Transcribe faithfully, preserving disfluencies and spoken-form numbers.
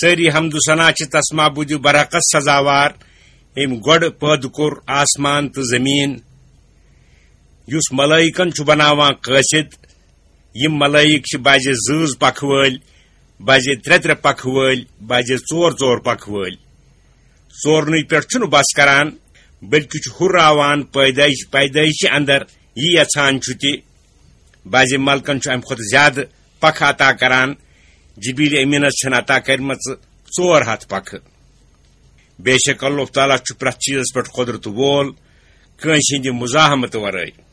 سٲری حمد و ثنا چھِ تس معبود برحقس سزاوار، أمۍ گۄڈٕ پٲدٕ کوٚر آسمان تہٕ زٔمیٖن، یُس ملائکن چھُ بناوان قٲصد۔ یِم ملائک چھِ بعضے زۭز پکھٕ وٲلۍ، بعضے ترٛےٚ ترٛےٚ پکھٕ وٲلۍ، بعضے ژور ژور پکھٕ وٲلۍ۔ ژورنٕے پٮ۪ٹھ چھُنہٕ بس کران، بلکہِ چھُ ہُراوان پیدائش، پیدائشہِ اندر یہِ یژھان چھُ تہِ۔ بعضے ملکن چھُ امہِ کھۄتہٕ زیادٕ پکھٕ عطا کران۔ جبریل امینس چھَنہٕ عطا کرِمژٕ ژور ہتھ پکھٕ۔ بے شک اللہ تعالیٰ چھُ پرٛٮ۪تھ چیٖزس پٮ۪ٹھ قۄدرت وول، کٲنٛسہِ ہٕنٛدِ مزاحمتہٕ ورٲے۔